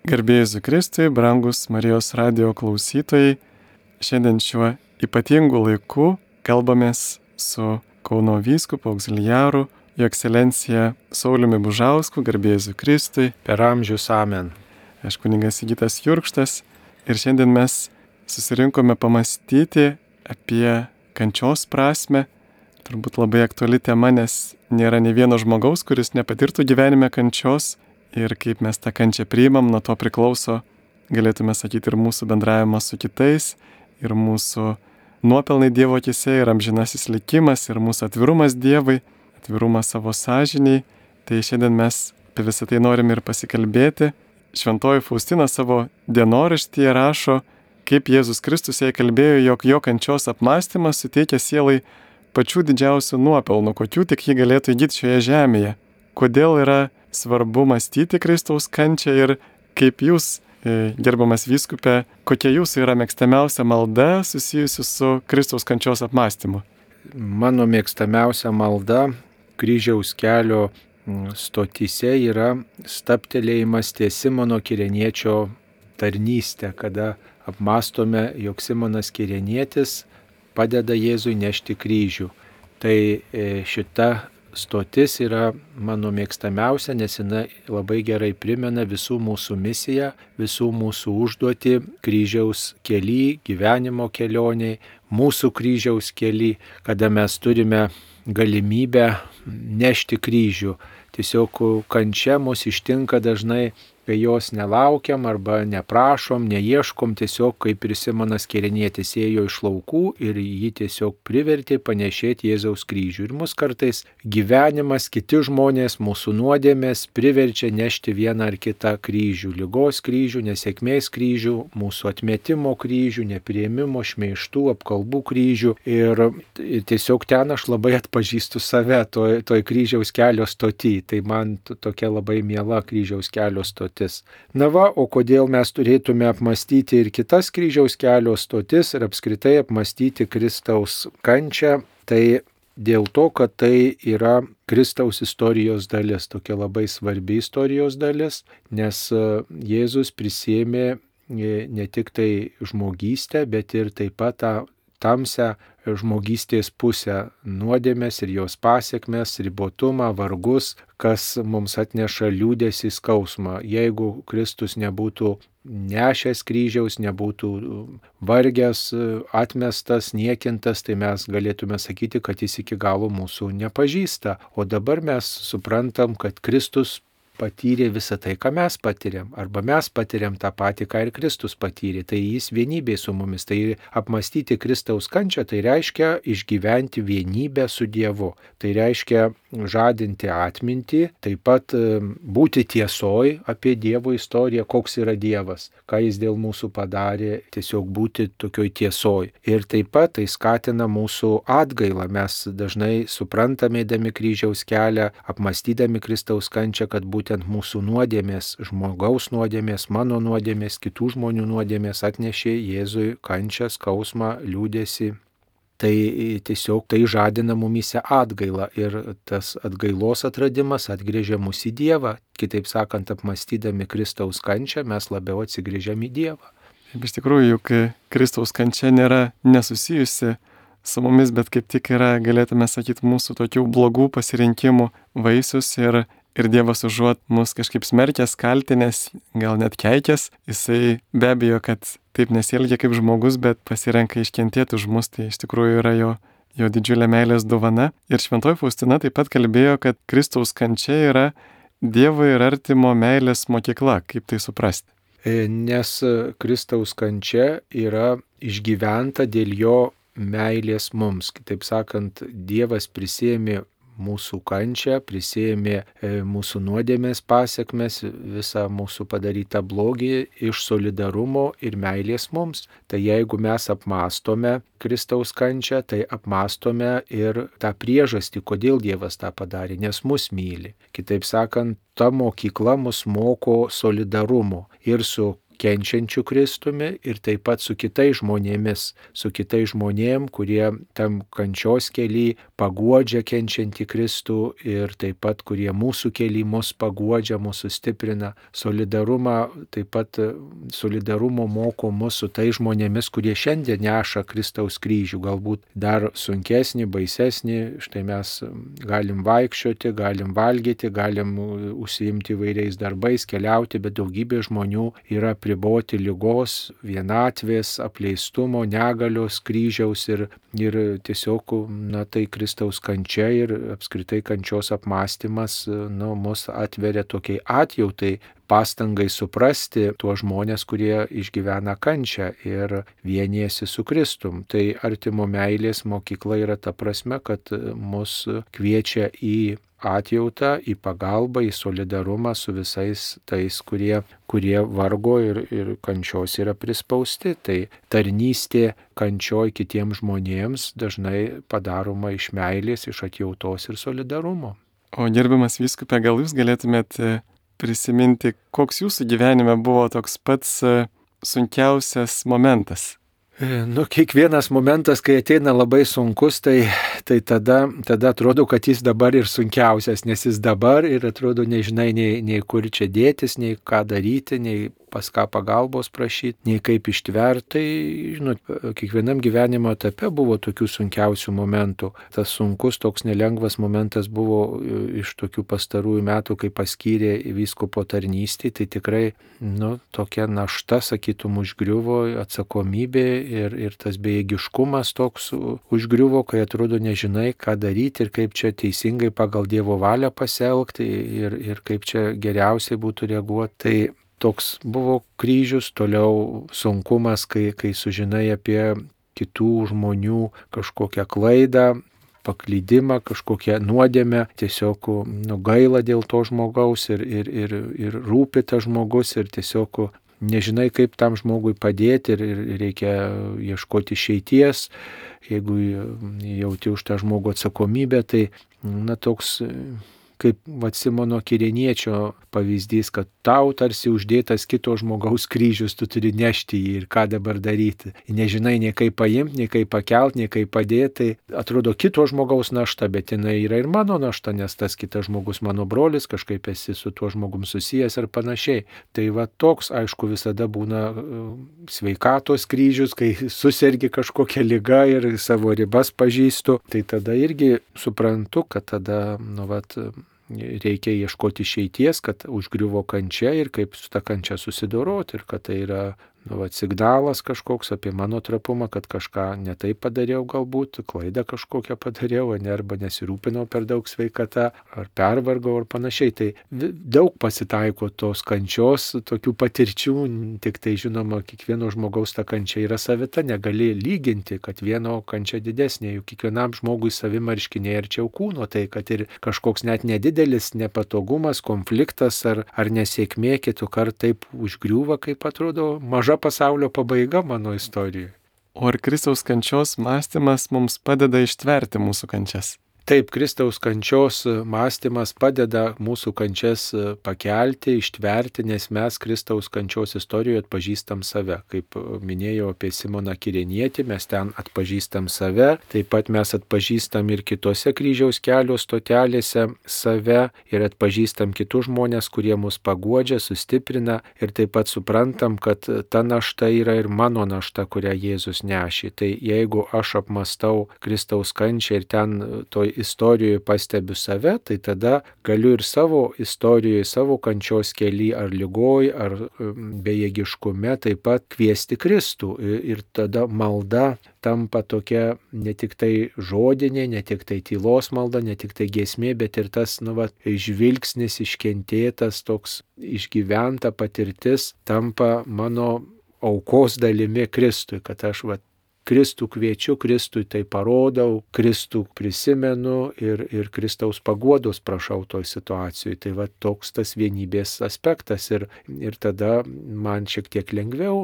Garbė Jėzui Kristui, brangus Marijos radijo klausytojai, šiandien šiuo ypatingu laiku kalbamės su Kauno vyskupu auxiliaru, Jo ekscelencija Sauliumi Bužausku, garbė Jėzui Kristui. Per amžius amen. Aš kunigas Sigitas Jurkštas ir šiandien mes susirinkome pamastyti apie kančios prasmę. Turbūt labai aktuali tema, nes nėra nei vieno žmogaus, kuris nepatirtų gyvenime kančios. Ir kaip mes tą kančią priimam, nuo to priklauso, galėtume sakyti, ir mūsų bendravimas su kitais, ir mūsų nuopelnai Dievo akyse, ir amžinasis likimas, ir mūsų atvirumas Dievui, atvirumas savo sąžiniai. Tai šiandien mes apie visą tai norim ir pasikalbėti. Šventoji Faustina savo dienoraštyje rašo, kaip Jėzus Kristus jai kalbėjo, jog jo kančios apmąstymas suteikia sielai pačių didžiausių nuopelnų, kokių tik ji galėtų įgyti šioje žemėje. Kodėl yra svarbu mąstyti Kristaus kančią ir kaip jūs, gerbiamas vyskupe, kokia jūsų yra mėgstamiausia malda susijusi su Kristaus kančios apmąstymu? Mano mėgstamiausia malda kryžiaus kelio stotyse yra stabtelėjimas ties Simono Kireniečio tarnystę, kada apmąstome, jog Simonas Kirenietis padeda Jėzui nešti kryžių. Tai šita stotis yra mano mėgstamiausia, nes jinai labai gerai primena visų mūsų misiją, visų mūsų užduotį kryžiaus kely, gyvenimo kelioniai, mūsų kryžiaus kely, kada mes turime galimybę nešti kryžių. Tiesiog kančia mus ištinka dažnai, kai jos nelaukiam arba neprašom, neieškom, tiesiog kaip ir Simonas Kirenietis ėjo iš laukų ir jį tiesiog privertė panešėti Jėzaus kryžių. Ir mus kartais gyvenimas, kiti žmonės, mūsų nuodėmės priverčia nešti vieną ar kitą kryžių. Ligos kryžių, nesėkmės kryžių, mūsų atmetimo kryžių, nepriėmimo, šmeižtų, apkalbų kryžių. Ir tiesiog ten aš labai atpažįstu save toj kryžiaus kelio stoty. Tai man tokia labai miela kryžiaus kelio stotis. Na va, o kodėl mes turėtume apmąstyti ir kitas kryžiaus kelio stotis ir apskritai apmąstyti Kristaus kančią, tai dėl to, kad tai yra Kristaus istorijos dalis, tokia labai svarbi istorijos dalis, nes Jėzus prisėmė ne tik tai žmogystę, bet ir taip pat tą tamsią žmogystės pusę, nuodėmės ir jos pasiekmes, ribotumą, vargus, kas mums atneša liūdesį, skausmą. Jeigu Kristus nebūtų nešęs kryžiaus, nebūtų vargęs, atmestas, niekintas, tai mes galėtume sakyti, kad jis iki galo mūsų nepažįsta. O dabar mes suprantam, kad Kristus patyrė visą tai, ką mes patiriam, arba mes patiriam tą patį, ką ir Kristus patyrė. Tai jis vienybė su mumis. Tai apmąstyti Kristaus kančią, tai reiškia išgyventi vienybę su Dievu. Tai reiškia žadinti atmintį, taip pat būti tiesoj apie Dievo istoriją, koks yra Dievas, ką jis dėl mūsų padarė, tiesiog būti tokioj tiesoj. Ir taip pat tai skatina mūsų atgailą. Mes dažnai suprantame, eidami kryžiaus kelią, apmąstydami Kristaus kančią, kad būtent mūsų nuodėmės, žmogaus nuodėmės, mano nuodėmės, kitų žmonių nuodėmės atnešė Jėzui kančią, skausmą, liūdesį. Tai tiesiog tai žadina mumyse atgailą ir tas atgailos atradimas atgrėžia mus į Dievą. Kitaip sakant, apmąstydami Kristaus kančią mes labiau atsigrėžiam į Dievą. Iš tikrųjų, juk Kristaus kančia nėra nesusijusi su mumis, bet kaip tik yra, galėtume sakyti, mūsų tokių blogų pasirinkimų vaisius ir Dievas užuot mus kažkaip smerkęs, kaltinęs, gal net keikęs, jisai be abejo, kad taip nesielgia kaip žmogus, bet pasirenka iškentėti už mus, tai iš tikrųjų yra jo didžiulė meilės dovana. Ir šventoji Faustina taip pat kalbėjo, kad Kristaus kančia yra Dievo ir artimo meilės mokykla. Kaip tai suprasti? Nes Kristaus kančia yra išgyventa dėl jo meilės mums. Kitaip sakant, Dievas prisėmė mūsų kančią, prisėmė mūsų nuodėmės pasiekmes, visą mūsų padarytą blogį iš solidarumo ir meilės mums. Tai jeigu mes apmąstome Kristaus kančią, tai apmąstome ir tą priežastį, kodėl Dievas tą padarė, nes mus myli. Kitaip sakant, ta mokykla mus moko solidarumo ir su kenčiančiu Kristumi ir taip pat su kitais žmonėm, kurie tam kančios kely paguodžia kenčiantį Kristų ir taip pat kurie mūsų kely mus paguodžia, mūsų stiprina. Taip pat solidarumo moko mus su tais žmonėmis, kurie šiandien neša Kristaus kryžių, galbūt dar sunkesnį, baisesnį. Štai mes galim vaikščioti, galim valgyti, galim užsiimti įvairiais darbais, keliauti, bet daugybė žmonių yra apriboti ligos, vienatvės, apleistumo, negalios, kryžiaus ir tiesiog, tai Kristaus kančia ir apskritai kančios apmąstymas, mus atveria tokiai atjautai, pastangai suprasti tuos žmonės, kurie išgyvena kančią ir vienijasi su Kristum. Tai artimo meilės mokykla yra ta prasme, kad mus kviečia į atjautą, į pagalbą, į solidarumą su visais tais, kurie vargo ir kančios yra prispausti. Tai tarnystė kančioj kitiems žmonėms dažnai padaroma iš meilės, iš atjautos ir solidarumo. O gerbiamas vyskupe, gal jūs galėtumėt prisiminti, koks jūsų gyvenime buvo toks pats sunkiausias momentas? Kiekvienas momentas, kai ateina labai sunkus, tai tada atrodo, kad jis dabar ir sunkiausias, nes jis dabar ir atrodo nežinai nei kur čia dėtis, nei ką daryti, nei pas ką pagalbos prašyti, nei kaip ištverti. Tai, kiekvienam gyvenimo etape buvo tokių sunkiausių momentų. Tas sunkus, toks nelengvas momentas buvo iš tokių pastarųjų metų, kai paskyrė vyskupo tarnystį, tai tikrai, tokia našta, sakytum, užgriuvo, atsakomybė ir tas bejėgiškumas toks užgriuvo, kai atrodo nežinai, ką daryti ir kaip čia teisingai pagal Dievo valią pasielgti ir kaip čia geriausiai būtų reaguoti. Tai toks buvo kryžius, toliau sunkumas, kai sužinai apie kitų žmonių kažkokią klaidą, paklydimą, kažkokią nuodėmę, tiesiog gaila dėl to žmogaus ir rūpi tas žmogus ir tiesiog nežinai, kaip tam žmogui padėti ir reikia ieškoti išeities. Jeigu jauti už tą žmogų atsakomybę, tai toks kaip Simono Kireniečio pavyzdys, kad tau tarsi uždėtas kito žmogaus kryžius, tu turi nešti jį ir ką dabar daryti. Nežinai nei kaip paimti, nei kaip pakelti, nei kaip padėti. Tai atrodo kito žmogaus našta, bet jinai yra ir mano našta, nes tas kitas žmogus mano brolis, kažkaip esi su tuo žmogum susijęs ir panašiai. Tai toks, aišku, visada būna sveikatos kryžius, kai susergi kažkokią ligą ir savo ribas pažįstu. Tai tada irgi suprantu, kad tada, reikia ieškoti išeities, kad užgriuvo kančia ir kaip su ta kančia susidoroti ir kad tai yra signalas kažkoks apie mano trapumą, kad kažką ne taip padariau galbūt, klaidą kažkokią padariau, arba nesirūpinau per daug sveikata, ar pervargau, ar panašiai. Tai daug pasitaiko tos kančios, tokių patirčių, tik tai žinoma, kiekvieno žmogaus ta kančia yra savita, negali lyginti, kad vieno kančia didesnė, juk kiekvienam žmogui savimarškiniai arčiau kūno, tai kad ir kažkoks net nedidelis nepatogumas, konfliktas ar nesėkmė kitų kart taip užgriūva, kaip atrodo maža pasaulio pabaiga mano istorijoje. O ar Kristaus kančios mąstymas mums padeda ištverti mūsų kančias? Taip, Kristaus kančios mąstymas padeda mūsų kančias pakelti, ištverti, nes mes Kristaus kančios istorijoje atpažįstam save. Kaip minėjau apie Simoną Kirenietį, mes ten atpažįstam save, taip pat mes atpažįstam ir kitose kryžiaus kelio stotelėse save ir atpažįstam kitus žmonės, kurie mus paguodžia, sustiprina ir taip pat suprantam, kad ta našta yra ir mano našta, kurią Jėzus nešė. Tai jeigu aš apmastau Kristaus kančią ir ten toj istorijoje pastebiu save, tai tada galiu ir savo istorijoje, savo kančios kely ar lygoj, ar bejėgiškume taip pat kviesti Kristų. Ir tada malda tampa tokia ne tik tai žodinė, ne tik tai tylos malda, ne tik tai giesmė, bet ir tas žvilgsnis iškentėtas, toks išgyventa patirtis tampa mano aukos dalimi Kristui, kad aš Kristų kviečiu, Kristui tai parodau, Kristų prisimenu ir Kristaus paguodos prašau toj situacijoje. Tai va toks tas vienybės aspektas ir tada man šiek tiek lengviau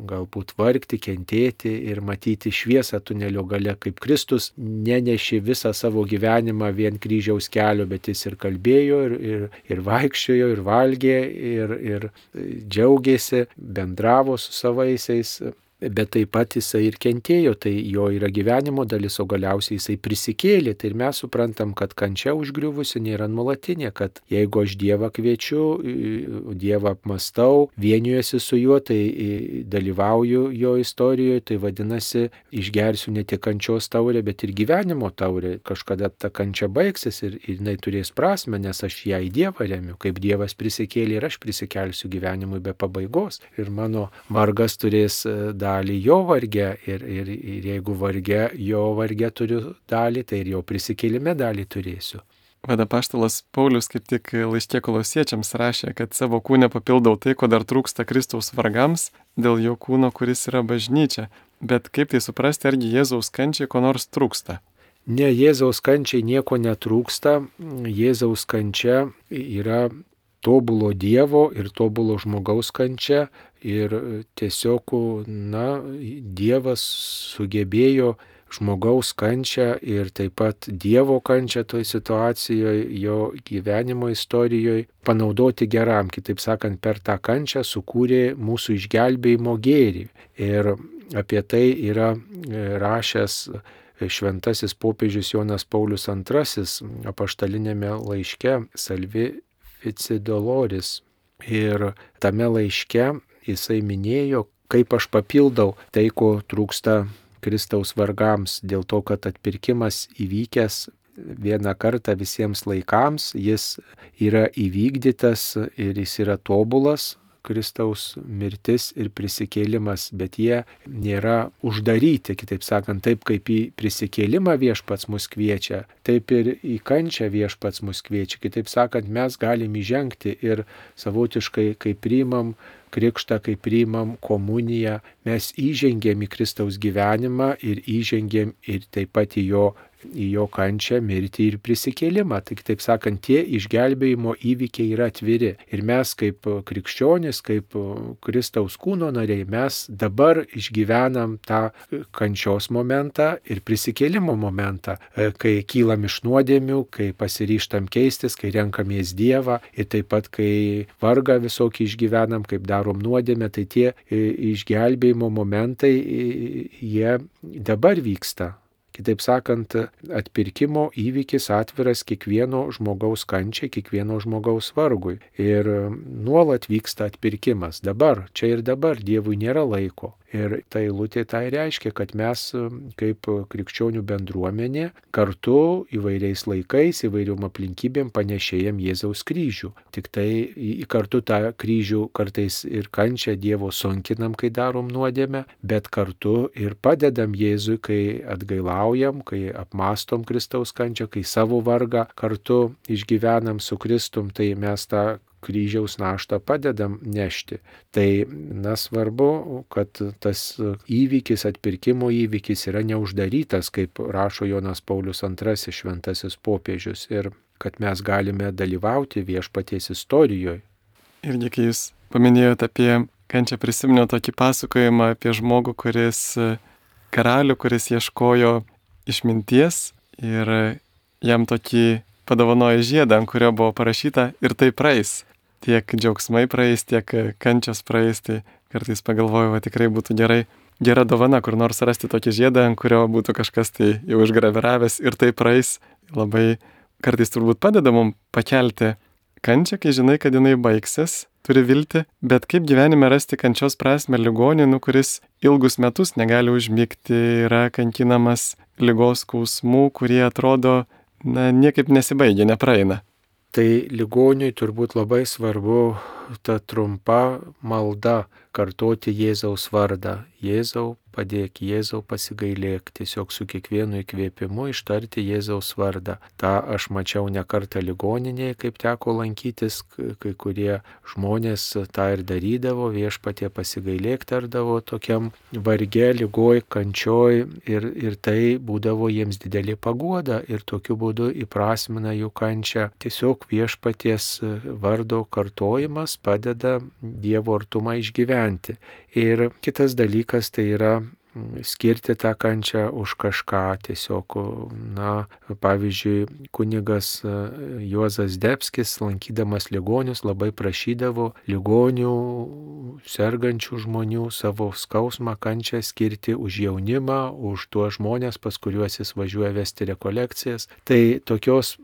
galbūt vargti, kentėti ir matyti šviesą tunelio gale, kaip Kristus nenešė visą savo gyvenimą vien kryžiaus kelio, bet jis ir kalbėjo, ir vaikščiojo, ir valgė, ir džiaugėsi, bendravo su savaisiais. Bet taip pat jisai ir kentėjo, tai jo yra gyvenimo dalis, o galiausiai jisai prisikėlė. Tai ir mes suprantam, kad kančia užgriuvusi nėra nuolatinė, kad jeigu aš Dievą kviečiu, Dievą apmastau, vienijuosi su juo, tai dalyvauju jo istorijoje, tai vadinasi, išgersiu ne tik kančios taurę, bet ir gyvenimo taurę. Kažkada ta kančia baigsis ir jinai turės prasme, nes aš ją į Dievą remiu. Kaip Dievas prisikėlė ir aš prisikelsiu gyvenimui be pabaigos. Ir mano vargas turės dalį jo varge ir jeigu varge, jo varge turiu dalį, tai ir jo prisikėlime dalį turėsiu. Apaštalas Paulius kaip tik laiške Kolosiečiams rašė, kad savo kūne papildau tai, ko dar trūksta Kristaus vargams, dėl jo kūno, kuris yra bažnyčia. Bet kaip tai suprasti, argi Jėzaus kančiai ko nors trūksta? Ne, Jėzaus kančiai nieko netrūksta. Jėzaus kančia yra tobulo Dievo ir tobulo žmogaus kančia. Ir tiesiog, Dievas sugebėjo žmogaus kančią ir taip pat Dievo kančią toj situacijoje, jo gyvenimo istorijoje panaudoti geram. Kitaip sakant, per tą kančią sukūrė mūsų išgelbėjimo gėrį. Ir apie tai yra rašęs šventasis popiežius Jonas Paulius II apaštalinėme laiške Salvi Fici Doloris. Ir tame laiške jisai minėjo, kaip aš papildau tai, ko trūksta Kristaus vargams, dėl to, kad atpirkimas įvykęs vieną kartą visiems laikams, jis yra įvykdytas ir jis yra tobulas, Kristaus mirtis ir prisikėlimas, bet jie nėra uždaryti, kitaip sakant, taip kaip į prisikėlimą viešpats mus kviečia, taip ir į kančią viešpats mus kviečia. Kitaip sakant, mes galim įžengti ir savotiškai, kai priimam krikštą, kai priimam komuniją, mes įžengėm į Kristaus gyvenimą ir įžengėm ir taip pat į jo kančią, mirtį ir prisikėlimą. Tai kitaip sakant, tie išgelbėjimo įvykiai yra atviri. Ir mes kaip krikščionys, kaip Kristaus kūno nariai, mes dabar išgyvenam tą kančios momentą ir prisikėlimo momentą, kai kylam iš nuodėmių, kai pasiryžtam keistis, kai renkamės Dievą ir taip pat, kai vargą visokį išgyvenam, kaip darom nuodėmę, tai tie išgelbėjimo momentai, jie dabar vyksta. Kitaip sakant, atpirkimo įvykis atviras kiekvieno žmogaus kančiai, kiekvieno žmogaus vargui. Ir nuolat vyksta atpirkimas. Dabar, čia ir dabar, Dievui nėra laiko. Ir ta eilutė tai reiškia, kad mes kaip krikščionių bendruomenė kartu įvairiais laikais, įvairiom aplinkybėm panešėjam Jėzaus kryžių. Tik tai kartu tą kryžių kartais ir kančią Dievo sunkinam, kai darom nuodėmę, bet kartu ir padedam Jėzui, kai atgailaujam, kai apmastom Kristaus kančią, kai savo vargą kartu išgyvenam su Kristum, tai mes tą kryžiaus naštą padedam nešti. Tai svarbu, kad tas įvykis, atpirkimo įvykis yra neuždarytas, kaip rašo Jonas Paulius II šventasis popiežius, ir kad mes galime dalyvauti viešpaties istorijoje. Irgi, kai jūs paminėjote apie kančią, prisiminiau tokį pasakojimą apie žmogų, karalių, kuris ieškojo išminties ir jam tokį padovanojo žiedą, ant kurio buvo parašyta ir tai praeis. Tiek džiaugsmai praeis, tiek kančios praeis, tai kartais pagalvoju, tikrai būtų gera dovana, kur nors rasti tokį žiedą, ant kurio būtų kažkas tai jau išgraviravęs ir tai praeis. Labai kartais turbūt padeda mums pakelti kančią, kai žinai, kad jinai baigsis, turi viltį, bet kaip gyvenime rasti kančios prasmę ligonį, kuris ilgus metus negali užmigti, yra kankinamas ligos skausmų, kurie atrodo niekaip nesibaigia, nepraeina. Tai ligoniui turbūt labai svarbu ta trumpa malda kartoti Jėzaus vardą. Jėzau, padėk, Jėzau pasigailėk, tiesiog su kiekvienu įkvėpimu ištarti Jėzaus vardą. Ta aš mačiau ne kartą ligoninėje, kaip teko lankytis, kai kurie žmonės tą ir darydavo, Viešpatie pasigailėk tardavo tokiam varge, lygoj, kančioj ir tai būdavo jiems didelė paguoda ir tokiu būdu įprasmina jų kančią. Tiesiog Viešpaties vardo kartojimas padeda Dievo artumą išgyventi. Ir kitas dalykas tai yra skirti tą kančią už kažką. Tiesiog, pavyzdžiui, kunigas Juozas Zdebskis, lankydamas ligonius, labai prašydavo ligonių, sergančių žmonių savo skausmą, kančią skirti už jaunimą, už tuos žmonės, pas kuriuos jis važiuoja vesti rekolekcijas. Tai tokios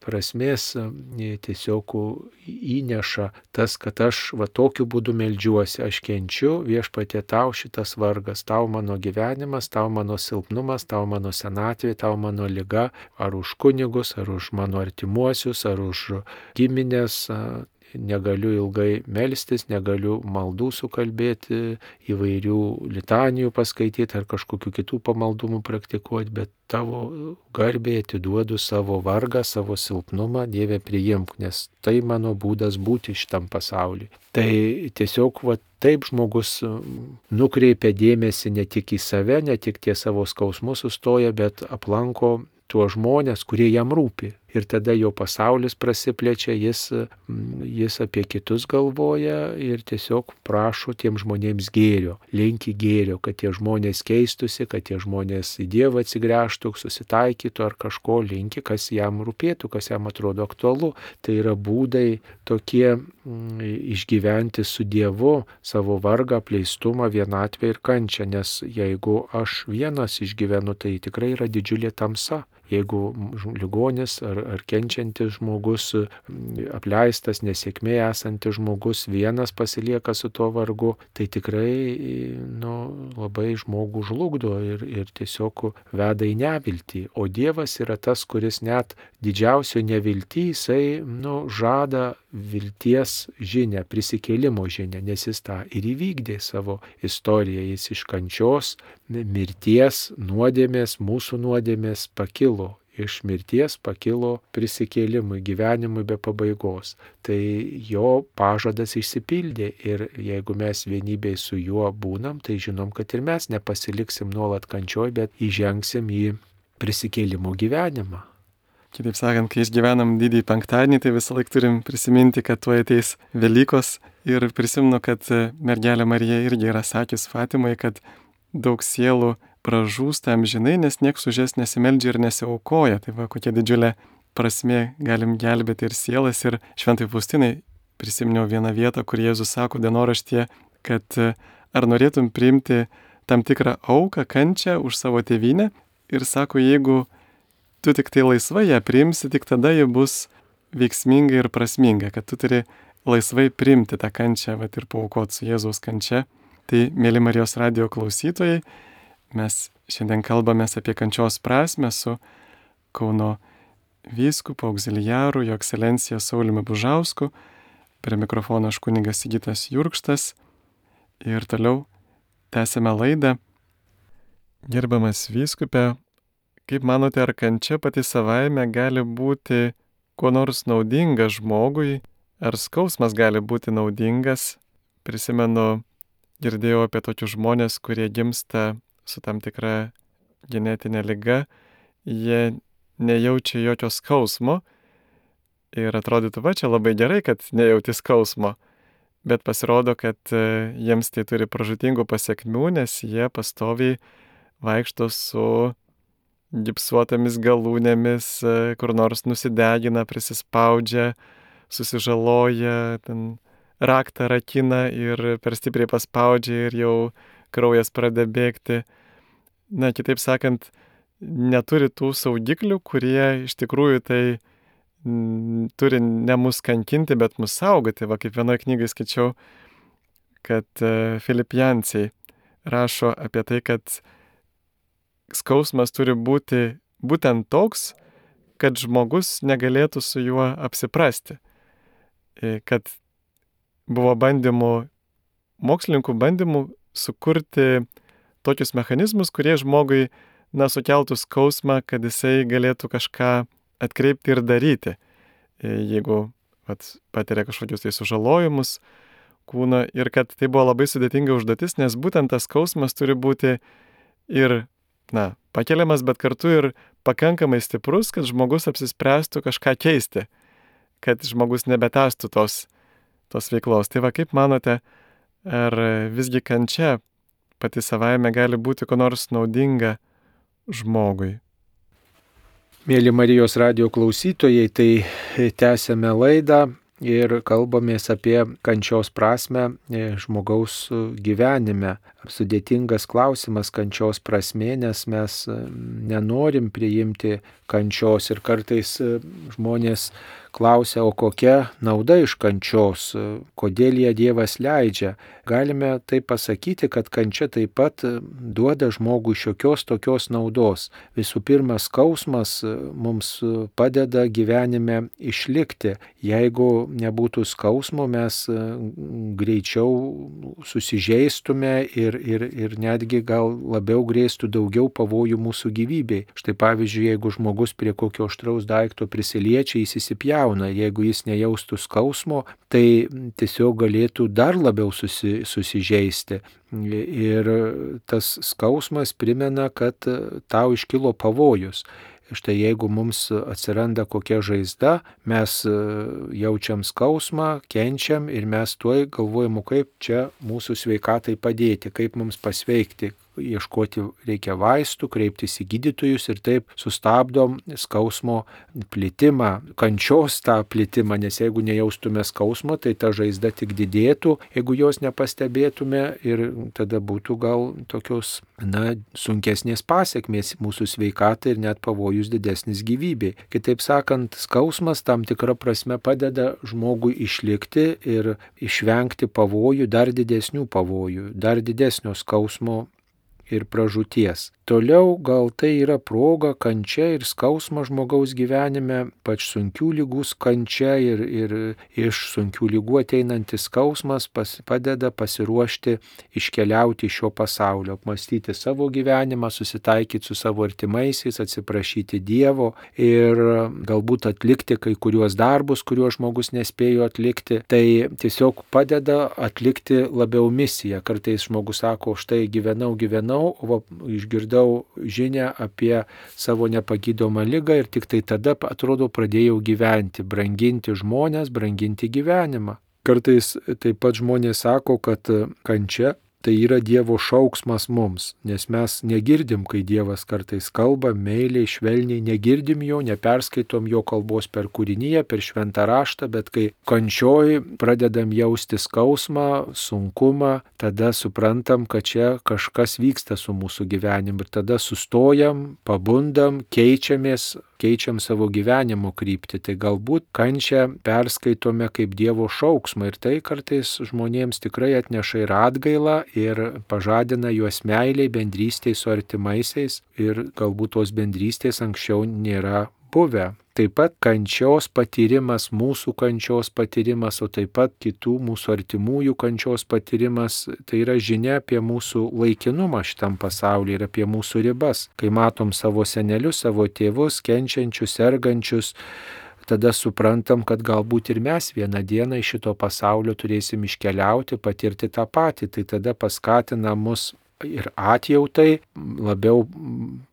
prasmės tiesiog įneša tas, kad aš tokiu būdu meldžiuosi, aš kenčiu, Viešpatie tau šitas vargas, tau mano gyvenimas, tau mano silpnumas, tau mano senatvė, tau mano liga, ar už kunigus, ar už mano artimuosius, ar už giminės. Negaliu ilgai melstis, negaliu maldų sukalbėti, įvairių litanijų paskaityti ar kažkokių kitų pamaldumų praktikuoti, bet tavo garbė atiduodu savo vargą, savo silpnumą, Dieve priimk, nes tai mano būdas būti šitam pasauliu. Tai tiesiog taip žmogus nukreipia dėmesį ne tik į save, ne tik tie savo skausmus sustoja, bet aplanko tuos žmonės, kurie jam rūpi. Ir tada jo pasaulis prasiplečia, jis apie kitus galvoja ir tiesiog prašo tiem žmonėms gėrio, linki gėrio, kad tie žmonės keistusi, kad tie žmonės į Dievą atsigręžtų, susitaikytų ar kažko linki, kas jam rūpėtų, kas jam atrodo aktualu. Tai yra būdai tokie išgyventi su Dievu savo vargą, apleistumą, vienatvę ir kančią, nes jeigu aš vienas išgyvenu, tai tikrai yra didžiulė tamsa. Jeigu ligonis ar kenčiantis žmogus, apleistas, nesėkmė esantis žmogus vienas pasilieka su tuo vargu, tai tikrai labai žmogų žlugdo ir tiesiog veda į neviltį. O Dievas yra tas, kuris net didžiausio neviltį, jisai žada vilties žinią, prisikėlimo žinią, nes jis tą ir įvykdė savo istoriją. Jis iš kančios, mirties, nuodėmės, mūsų nuodėmės pakilo. Iš mirties pakilo prisikėlimui, gyvenimui be pabaigos. Tai jo pažadas išsipildė ir jeigu mes vienybėj su juo būnam, tai žinom, kad ir mes nepasiliksim nuolat kančioj, bet įžengsim į prisikėlimo gyvenimą. Kitaip sakant, kai išgyvenam didįjį penktadienį, tai visą laiką turim prisiminti, kad tuo ateis Velykos ir prisimenu, kad mergelė Marija irgi yra sakius Fatimai, kad daug sielų pražūsta amžinai, nes nieks už jas nesimeldžia ir nesiaukoja. Tai va, kokia didžiulė prasmė galim gelbėti ir sielas. Ir Šventai Faustinai prisiminiau vieną vietą, kur Jėzus sako dienoraštyje, kad ar norėtum priimti tam tikrą auką, kančią už savo tėvynę. Ir sako, jeigu tu tik tai laisvai ją priimsi, tik tada ji bus veiksminga ir prasminga, kad tu turi laisvai priimti tą kančią ir paaukoti su Jėzaus kančia. Tai, mėly Marijos radijo klausytojai, mes šiandien kalbamės apie kančios prasmę su Kauno vyskupu auxiliaru, jo ekscelencija Sauliumi Bužausku. Prie mikrofono aš kunigas Sigitas Jurkštas. Ir toliau tęsime laidą. Gerbiamas vyskupe, kaip manote, ar kančia pati savaime gali būti kuo nors naudinga žmogui, ar skausmas gali būti naudingas? Prisimenu, girdėjau apie tokius žmonės, kurie gimsta su tam tikra genetinė liga, jie nejaučia jokio skausmo ir atrodytų, čia labai gerai, kad nejauti skausmo, bet pasirodo, kad jiems tai turi pražūtingų pasekmių, nes jie pastoviai vaikšto su gipsuotomis galūnėmis, kur nors nusidegina, prisispaudžia, susižaloja, raktą rakina ir per stipriai paspaudžia ir jau kraujas pradeda bėgti. Kitaip sakant, neturi tų saugiklių, kurie iš tikrųjų tai turi ne mus kankinti, bet mus saugoti. Kaip vienoje knygai skaičiau, kad Filip Jansiai rašo apie tai, kad skausmas turi būti būtent toks, kad žmogus negalėtų su juo apsiprasti. Kad buvo mokslininkų bandymų sukurti tokius mechanizmus, kurie žmogui, sukeltų skausmą, kad jisai galėtų kažką atkreipti ir daryti. Jeigu patiria kažkokius tai sužalojimus kūno, ir kad tai buvo labai sudėtinga užduotis, nes būtent tas skausmas turi būti ir, pakeliamas, bet kartu ir pakankamai stiprus, kad žmogus apsispręstų kažką keisti, kad žmogus nebetęstų tos veiklos. Tai va, kaip manote, ar visgi kančia pati savaime gali būti ko nors naudinga žmogui? Mėly Marijos radijo klausytojai, tai tęsiame laidą ir kalbamės apie kančios prasmę žmogaus gyvenime. Sudėtingas klausimas kančios prasmė, nes mes nenorim priimti kančios ir kartais žmonės klausia, o kokia nauda iš kančios, kodėl ją Dievas leidžia. Galime tai pasakyti, kad kančia taip pat duoda žmogui šiokios tokios naudos. Visų pirma, skausmas mums padeda gyvenime išlikti. Jeigu nebūtų skausmo, mes greičiau susižeistume ir netgi gal labiau grėstų daugiau pavojų mūsų gyvybei. Štai pavyzdžiui, jeigu žmogus prie kokio aštraus daikto prisiliečia, jis įsipjauna. Jeigu jis nejaustų skausmo, tai tiesiog galėtų dar labiau susižeisti. Ir tas skausmas primena, kad tau iškilo pavojus. Štai jeigu mums atsiranda kokia žaizda, mes jaučiam skausmą, kenčiam ir mes tuoj galvojam, kaip čia mūsų sveikatai padėti, kaip mums pasveikti. Ieškoti reikia vaistų, kreiptis į gydytojus ir taip sustabdom skausmo plitimą, kančios tą plitimą, nes jeigu nejaustume skausmo, tai ta žaizda tik didėtų, jeigu jos nepastebėtume ir tada būtų gal tokios, sunkesnės pasekmės mūsų sveikatai ir net pavojus didesnis gyvybei. Kitaip sakant, skausmas tam tikra prasme padeda žmogui išlikti ir išvengti pavojų, dar didesnių pavojų, dar didesnio skausmo ir pražūties. Toliau gal tai yra proga, kančia ir skausmas žmogaus gyvenime, pač sunkių lygų kančia ir iš sunkių lygų ateinantis skausmas padeda pasiruošti iškeliauti iš šio pasaulio, apmastyti savo gyvenimą, susitaikyti su savo artimaisiais, atsiprašyti Dievo ir galbūt atlikti kai kuriuos darbus, kuriuos žmogus nespėjo atlikti. Tai tiesiog padeda atlikti labiau misiją. Kartais žmogus sako, štai gyvenau, o išgirdau žinią apie savo nepagydomą ligą ir tik tai tada, atrodo, pradėjau gyventi, branginti žmonės, branginti gyvenimą. Kartais taip pat žmonės sako, kad kančia tai yra Dievo šauksmas mums, nes mes negirdim, kai Dievas kartais kalba, meiliai, švelniai, negirdim jo, neperskaitom jo kalbos per kūriniją, per šventą raštą, bet kai kančioj pradedam jausti skausmą, sunkumą, tada suprantam, kad čia kažkas vyksta su mūsų gyvenimu ir tada sustojam, pabundam, keičiam savo gyvenimo kryptį. Tai galbūt kančią perskaitome kaip Dievo šauksmą ir tai kartais žmonėms tikrai atneša ir atgailą ir pažadina juos meiliai, bendrystėj su artimaisiais ir galbūt tos bendrystės anksčiau nėra buvę. Taip pat kančios patyrimas, mūsų kančios patyrimas, o taip pat kitų mūsų artimųjų kančios patyrimas, tai yra žinia apie mūsų laikinumą šitam pasaulyje ir apie mūsų ribas. Kai matom savo senelius, savo tėvus, kenčiančius, sergančius, tada suprantam, kad galbūt ir mes vieną dieną iš šito pasaulio turėsim iškeliauti, patirti tą patį. Tai tada paskatina mus ir atjautai, labiau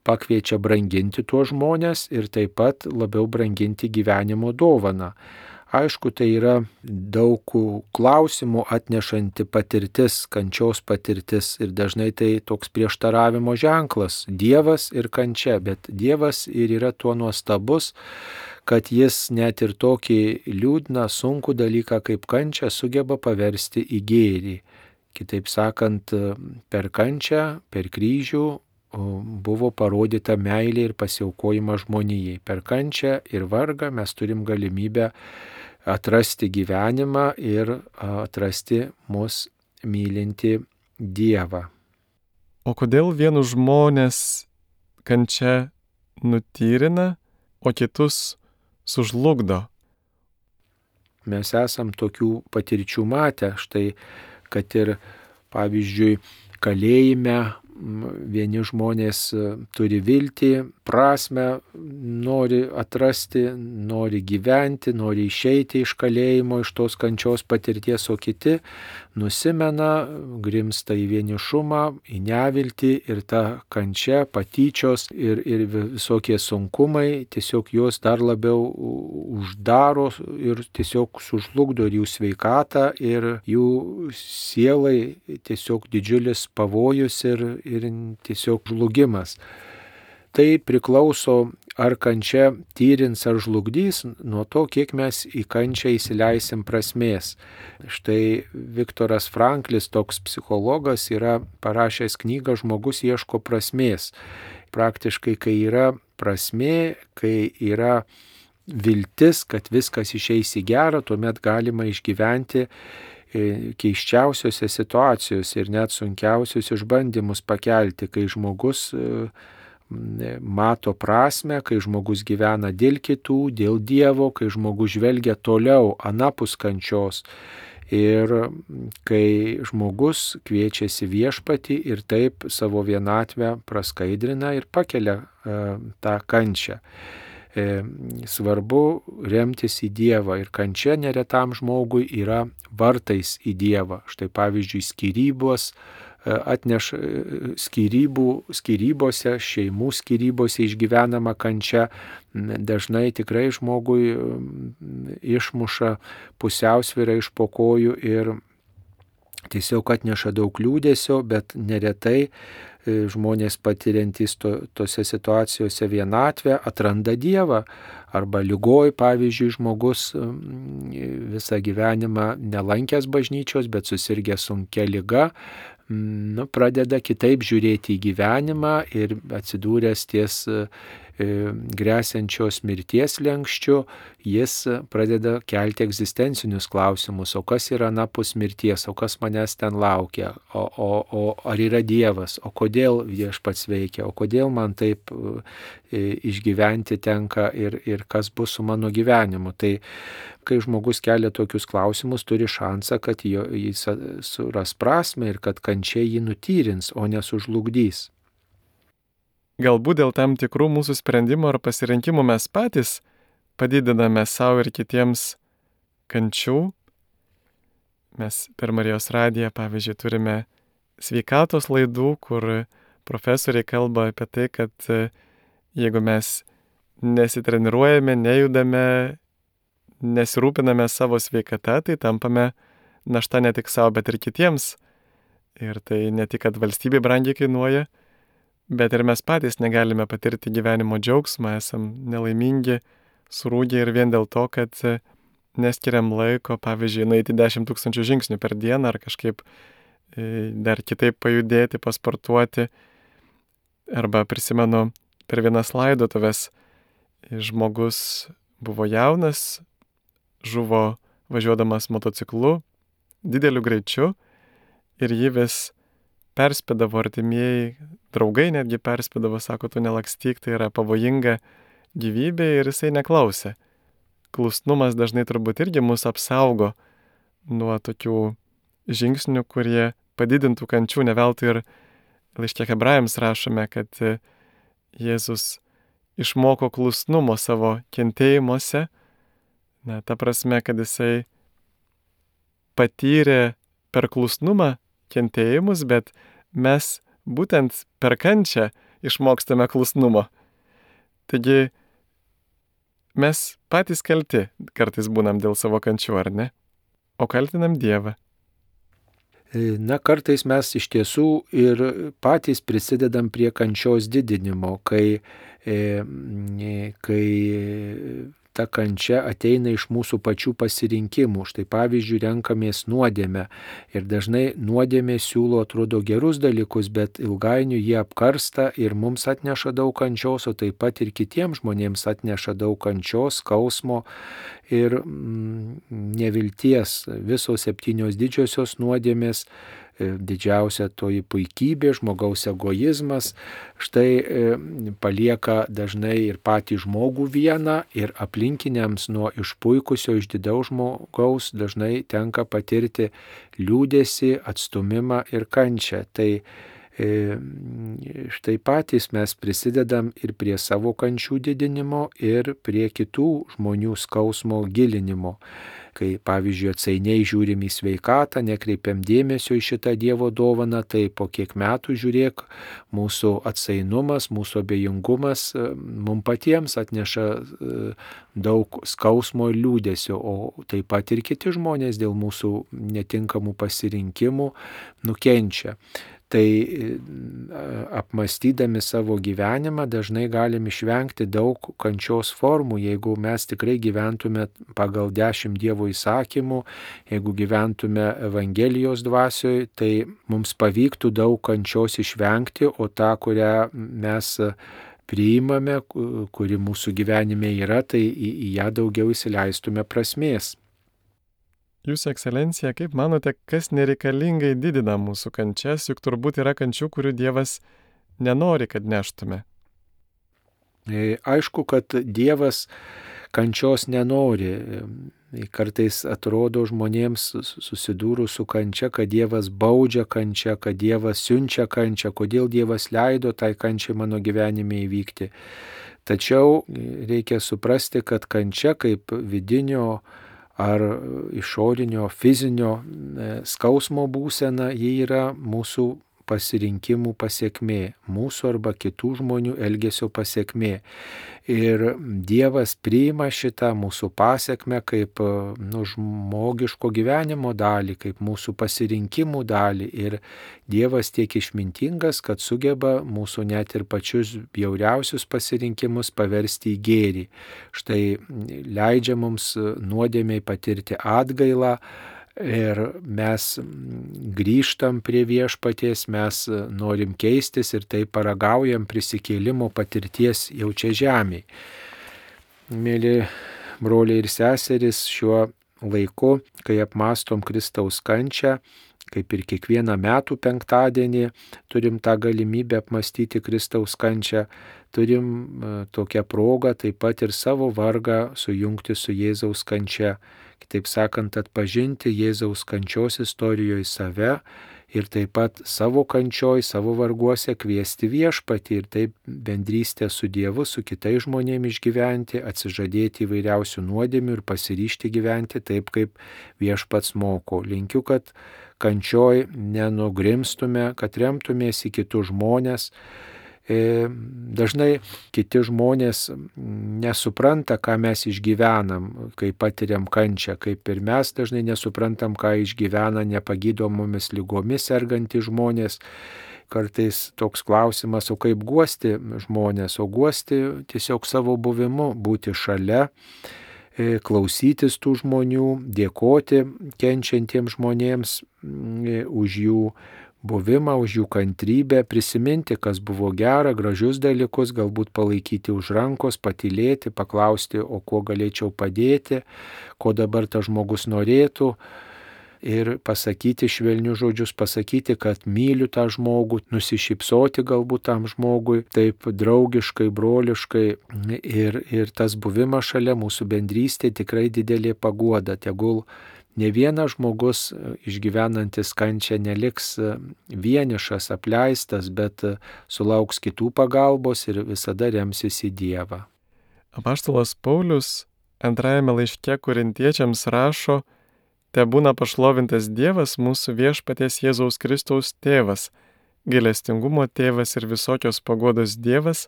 pakviečia branginti tuos žmonės ir taip pat labiau branginti gyvenimo dovaną. Aišku, tai yra daug klausimų atnešanti patirtis, kančios patirtis ir dažnai tai toks prieštaravimo ženklas. Dievas ir kančia, bet Dievas ir yra tuo nuostabus, kad jis net ir tokį liūdną, sunkų dalyką kaip kančia sugeba paversti į gėrį. Kitaip sakant, per kančią, per kryžių buvo parodyta meilė ir pasiaukojimas žmonijai. Per kančią ir vargą mes turim galimybę atrasti gyvenimą ir atrasti mus mylinti Dievą. O kodėl vienus žmonės kančia nutyrina, o kitus sužlugdo? Mes esam tokių patirčių matę, štai kad ir, pavyzdžiui, kalėjime vieni žmonės turi viltį, prasme, nori atrasti, nori gyventi, nori išeiti iš kalėjimo, iš tos kančios patirties, o kiti nusimena, grimsta į vienišumą, į neviltį ir ta kančia, patyčios ir visokie sunkumai tiesiog juos dar labiau uždaro ir tiesiog sužlugdo ir jų sveikatą, ir jų sielai tiesiog didžiulis pavojus ir tiesiog žlugimas. Tai priklauso, ar kančia tyrins ar žlugdys, nuo to, kiek mes į kančią įsileisim prasmės. Štai Viktoras Franklis, toks psichologas, yra parašęs knygą Žmogus ieško prasmės. Praktiškai, kai yra prasmė, kai yra viltis, kad viskas išeis į gerą, tuomet galima išgyventi keiščiausiose situacijose ir net sunkiausius išbandymus pakelti, kai žmogus mato prasme, kai žmogus gyvena dėl kitų, dėl Dievo, kai žmogus žvelgia toliau anapus kančios ir kai žmogus kviečiasi Viešpatį ir taip savo vienatvę praskaidrina ir pakelia tą kančią. Svarbu remtis į Dievą ir kančia neretam žmogui yra vartais į Dievą. Štai pavyzdžiui, skyrybose, šeimų skyrybose išgyvenama kančia dažnai tikrai žmogui išmuša pusiausvyrą iš po kojų ir tiesiog atneša daug liūdesio, bet neretai žmonės patiriantys tose situacijose vienatvę atranda Dievą. Arba lygoj, pavyzdžiui, žmogus visą gyvenimą nelankęs bažnyčios, bet susirgęs sunkia liga, pradeda kitaip žiūrėti į gyvenimą ir atsidūręs ties gresiančios mirties slenksčiu, jis pradeda kelti egzistencinius klausimus, o kas yra anapus mirties, o kas manęs ten laukia, o ar yra Dievas, o kodėl Viešpats veikia, o kodėl man taip išgyventi tenka ir kas bus su mano gyvenimu. Tai kai žmogus kelia tokius klausimus, turi šansą, kad jis suras prasmę ir kad kančia jį nutyrins, o nesužlugdys. Galbūt dėl tam tikrų mūsų sprendimų ar pasirinkimų mes patys padidiname savo ir kitiems kančių. Mes per Marijos radiją, pavyzdžiui, turime sveikatos laidų, kur profesoriai kalba apie tai, kad jeigu mes nesitreniruojame, nejudame, nesirūpiname savo sveikata, tai tampame našta ne tik savo, bet ir kitiems. Ir tai ne tik, kad valstybė brangiai kainuoja, bet ir mes patys negalime patirti gyvenimo džiaugsmą, esam nelaimingi, surūgę ir vien dėl to, kad neskiriam laiko, pavyzdžiui, nueiti 10 000 žingsnių per dieną ar kažkaip dar kitaip pajudėti, pasportuoti. Arba prisimenu, per vienas laidotuves žmogus buvo jaunas, žuvo važiuodamas motociklu dideliu greičiu ir jį vis perspėdavo artimieji, draugai netgi perspėdavo, sako, tu nelakstyk, tai yra pavojinga gyvybė ir jisai neklausė. Klusnumas dažnai turbūt irgi mus apsaugo nuo tokių žingsnių, kurie padidintų kančių. Ne veltui ir laiške Hebrajams rašome, kad Jėzus išmoko klusnumo savo kentėjimuose. Ta prasme, kad jisai patyrė per klusnumą kentėjimus, bet mes būtent per kančią išmokstame klusnumo. Taigi mes patys kalti kartais būnam dėl savo kančių, ar ne? O kaltinam Dievą. Kartais mes iš tiesų ir patys prisidedam prie kančios didinimo, kai ta kančia ateina iš mūsų pačių pasirinkimų. Štai pavyzdžiui, renkamės nuodėmę ir dažnai nuodėmė siūlo, atrodo, gerus dalykus, bet ilgainiui jie apkarsta ir mums atneša daug kančios, o taip pat ir kitiems žmonėms atneša daug kančios, skausmo ir nevilties. Visos 7 didžiosios nuodėmės, didžiausia toji puikybė, žmogaus egoizmas, štai palieka dažnai ir patį žmogų vieną ir aplinkiniams nuo išpuikusio, išdidaus žmogaus dažnai tenka patirti liūdesį, atstumimą ir kančią. Tai Štai patys mes prisidedam ir prie savo kančių didinimo, ir prie kitų žmonių skausmo gilinimo. Kai, pavyzdžiui, atsainiai žiūrim į sveikatą, nekreipiam dėmesio į šitą Dievo dovaną, tai po kiek metų žiūrėk, mūsų atsainumas, mūsų abejingumas mums patiems atneša daug skausmo ir liūdesio, o taip pat ir kiti žmonės dėl mūsų netinkamų pasirinkimų nukenčia. Tai apmastydami savo gyvenimą dažnai galim išvengti daug kančios formų, jeigu mes tikrai gyventume pagal 10 Dievo įsakymų, jeigu gyventume Evangelijos dvasioje, tai mums pavyktų daug kančios išvengti, o tą, kurią mes priimame, kuri mūsų gyvenime yra, tai į ją daugiau įsileistume prasmės. Jūsų ekscelencija, kaip manote, kas nereikalingai didina mūsų kančias, juk turbūt yra kančių, kurių Dievas nenori, kad neštume? Aišku, kad Dievas kančios nenori. Kartais atrodo žmonėms susidūrus su kančia, kad Dievas baudžia kančią, kad Dievas siunčia kančią, kodėl Dievas leido tai kančiai mano gyvenime įvykti. Tačiau reikia suprasti, kad kančia kaip vidinio ar išorinio fizinio skausmo būsena, ji yra mūsų pasirinkimų pasiekmė, mūsų arba kitų žmonių elgesio pasiekmė. Ir Dievas priima šitą mūsų pasiekmę kaip žmogiško gyvenimo dalį, kaip mūsų pasirinkimų dalį. Ir Dievas tiek išmintingas, kad sugeba mūsų net ir pačius bjauriausius pasirinkimus paversti į gėrį. Štai leidžia mums nuodėmiai patirti atgailą. Ir mes grįžtam prie Viešpaties, mes norim keistis ir tai paragaujam prisikėlimo patirties jau čia žemėje. Mėly broliai ir seserys, šiuo laiku, kai apmastom Kristaus kančią, kaip ir kiekvieną metų penktadienį turim tą galimybę apmastyti Kristaus kančią, turim tokią progą taip pat ir savo vargą sujungti su Jėzaus kančia. Kitaip sakant, atpažinti Jėzaus kančios istorijoje save ir taip pat savo kančioj, savo varguose kviesti Viešpatį ir taip bendrystę su Dievu, su kitais žmonėmis išgyventi, atsižadėti įvairiausių nuodėmių ir pasiryžti gyventi taip, kaip Viešpats moko. Linkiu, kad kančioj nenugrimstume, kad remtumės į kitus žmonės. Dažnai kiti žmonės nesupranta, ką mes išgyvenam, kai patiriam kančią, kaip ir mes dažnai nesuprantam, ką išgyvena nepagydomomis lygomis sergantys žmonės. Kartais toks klausimas, o kaip guosti žmonės, o guosti tiesiog savo buvimu, būti šalia, klausytis tų žmonių, dėkoti kenčiantiems žmonėms už jų buvimą, už jų kantrybę, prisiminti, kas buvo gera, gražius dalykus, galbūt palaikyti už rankos, patylėti, paklausti, o kuo galėčiau padėti, ko dabar tas žmogus norėtų ir pasakyti švelnius žodžius, pasakyti, kad myliu tą žmogų, nusišypsoti galbūt tam žmogui, taip draugiškai, broliškai ir tas buvimas šalia mūsų bendrystė tikrai didelė paguoda. Tegul ne vienas žmogus išgyvenantis kančią neliks vienišas, apleistas, bet sulauks kitų pagalbos ir visada remsis į Dievą. Apaštalas Paulius antrajame laiške Korintiečiams rašo: Tebūna pašlovintas Dievas, mūsų Viešpaties Jėzaus Kristaus tėvas, gailestingumo tėvas ir visokios paguodos Dievas,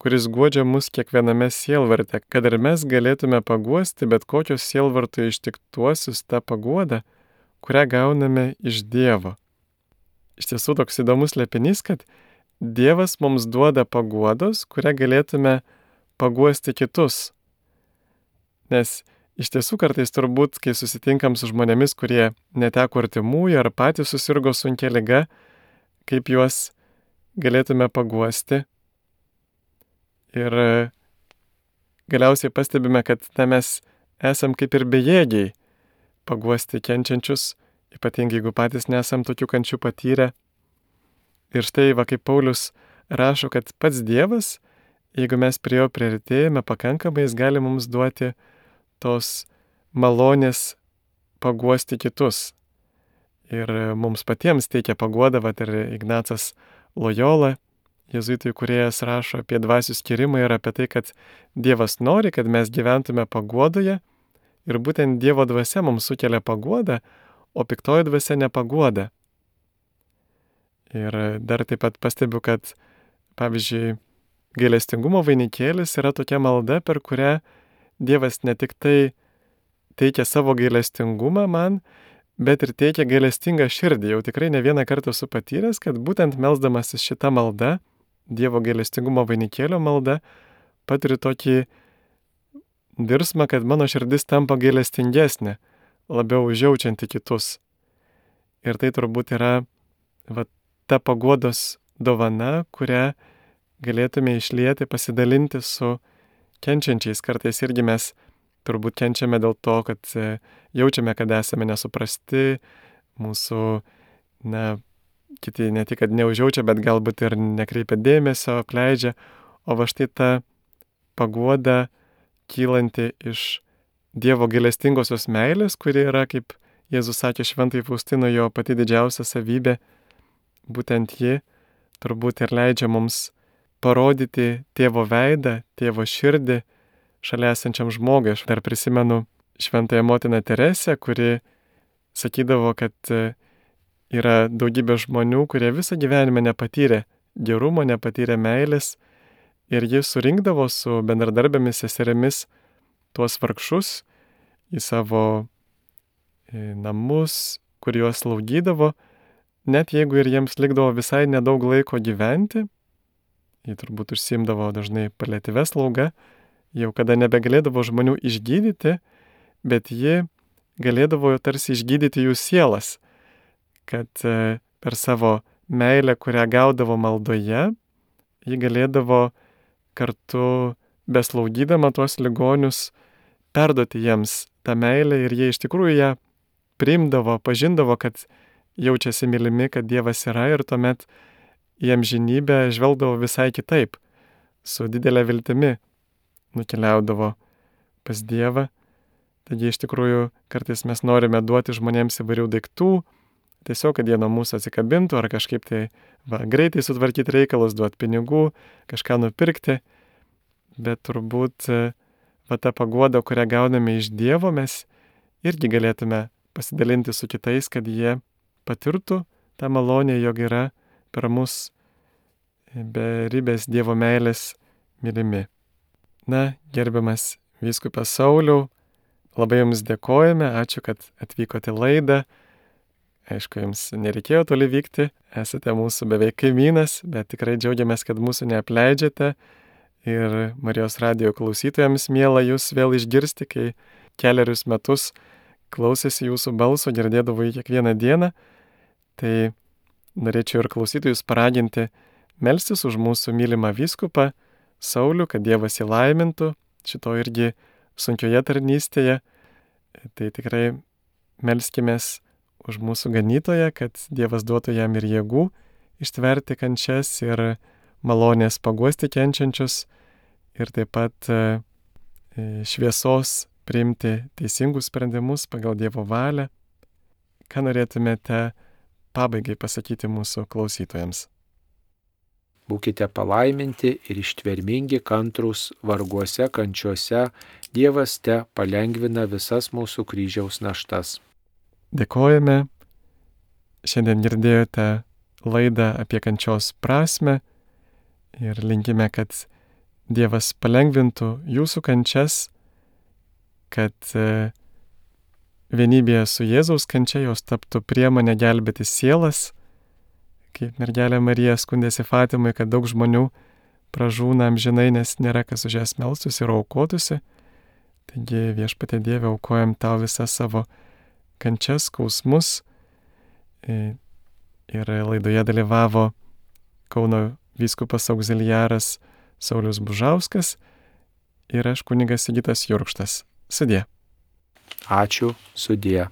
kuris guodžia mus kiekviename sielvarte, kad ir mes galėtume paguosti bet kokios sielvarto ištiktuosius tą paguodą, kurią gauname iš Dievo. Iš tiesų toks įdomus slėpinys, kad Dievas mums duoda paguodos, kurią galėtume paguosti kitus. Nes iš tiesų kartais turbūt, kai susitinkam su žmonėmis, kurie neteko artimųjų ar patys susirgo sunkia liga, kaip juos galėtume paguosti. Ir galiausiai pastebime, kad mes esam kaip ir bejėgiai paguosti kenčiančius, ypatingai jeigu patys nesam tokių kančių patyrę. Ir štai, kaip Paulius rašo, kad pats Dievas, jeigu mes prie jo priartėjame pakankamai, jis gali mums duoti tos malonės paguosti kitus. ir mums patiems teikia paguodą, ir Ignacas Lojola, jėzuitų įkūrėjas, rašo apie dvasių skyrimą ir apie tai, kad Dievas nori, kad mes gyventume paguodoje ir būtent Dievo dvasia mums sukelia paguodą, o piktoji dvasia nepaguoda. Ir dar taip pat pastebiu, kad, pavyzdžiui, gailestingumo vainikėlis yra tokia malda, per kurią Dievas ne tik tai teikia savo gailestingumą man, bet ir teikia gailestingą širdį. Jau tikrai ne vieną kartą esu patyręs, kad būtent melsdamasis šitą maldą, Dievo gailestingumo vainikėlio malda, patiriu tokį virsmą, kad mano širdis tampa gailestingesnė, labiau užjaučianti kitus. Ir tai turbūt yra ta paguodos dovana, kurią galėtume išlieti, pasidalinti su kenčiančiais. Kartais irgi mes turbūt kenčiame dėl to, kad jaučiame, kad esame nesuprasti, mūsų, kiti ne tik, kad neužjaučia, bet galbūt ir nekreipia dėmesio, apleidžia. O va štai ta paguoda kylanti iš Dievo gailestingosios meilės, kuri yra, kaip Jėzus sakė šventai Faustinui, jo pati didžiausia savybė, būtent ji turbūt ir leidžia mums parodyti tėvo veidą, tėvo širdį šalia esančiam žmogui. Aš dar prisimenu šventąją motiną Teresę, kuri sakydavo, kad yra daugybė žmonių, kurie visą gyvenimą nepatyrė gerumo, nepatyrė meilės, ir ji surinkdavo su bendradarbėmis seserimis tuos vargšus į savo namus, kur juos slaugydavo, net jeigu ir jiems likdavo visai nedaug laiko gyventi. Ji turbūt užsiimdavo dažnai paliatyvia slauga, jau kada nebegalėdavo žmonių išgydyti, bet ji galėdavo tarsi išgydyti jų sielas, kad per savo meilę, kurią gaudavo maldoje, ji galėdavo kartu beslaugydama tuos ligonius perduoti jiems tą meilę, ir jie iš tikrųjų ją priimdavo, pažindavo, kad jaučiasi mylimi, kad Dievas yra, ir tuomet į amžinybę žvelgdavo visai kitaip, su didelė viltimi nukeliaudavo pas Dievą. Taigi iš tikrųjų kartais mes norime duoti žmonėms įvairių daiktų, tiesiog, kad jie nuo mūsų atsikabintų, ar kažkaip tai greitai sutvarkyti reikalus, duoti pinigų, kažką nupirkti, bet turbūt ta paguoda, kurią gauname iš Dievo, mes irgi galėtume pasidalinti su kitais, kad jie patirtų tą malonę, jog yra per mus beribės Dievo meilės mylimi. Gerbiamas vyskupas Sauliau, labai Jums dėkojame, ačiū, kad atvykote į laidą. Aišku, Jums nereikėjo toli vykti, esate mūsų beveik kaimynas, bet tikrai džiaugiamės, kad mūsų neapleidžiate. Ir Marijos radijo klausytojams miela Jūs vėl išgirsti, kai kelerius metus klausėsi Jūsų balso, girdėdavo jį kiekvieną dieną. Tai norėčiau ir klausytojus paraginti melstis už mūsų mylimą vyskupą Saulių, kad Dievas jį laimintų šito irgi sunkioje tarnystėje. Tai tikrai melskimės už mūsų ganytoją, kad Dievas duotų jam ir jėgų ištverti kančias ir malonės paguosti kenčiančius, ir taip pat šviesos priimti teisingus sprendimus pagal Dievo valią. Ką norėtumėte pabaigai pasakyti mūsų klausytojams? Būkite palaiminti ir ištvermingi, kantrūs varguose, kančiuose. Dievas te palengvina visas mūsų kryžiaus naštas. Dėkojame. Šiandien girdėjote laidą apie kančios prasmę ir linkime, kad Dievas palengvintų jūsų kančias, kad vienybėje su Jėzaus kančia jos taptų priemonė gelbėti sielas. Kaip mergelė Marija skundėsi Fatimai, kad daug žmonių pražūna amžinai, nes nėra kas už jas melstųsi ir aukotųsi. Taigi Viešpatie Dieve, aukojam tau visą savo kančias, skausmus. Ir laidoje dalyvavo Kauno vyskupas auxiliaras Saulius Bužauskas ir aš kunigas Sigitas Jurkštas. Sudie. Ačiū, sudie.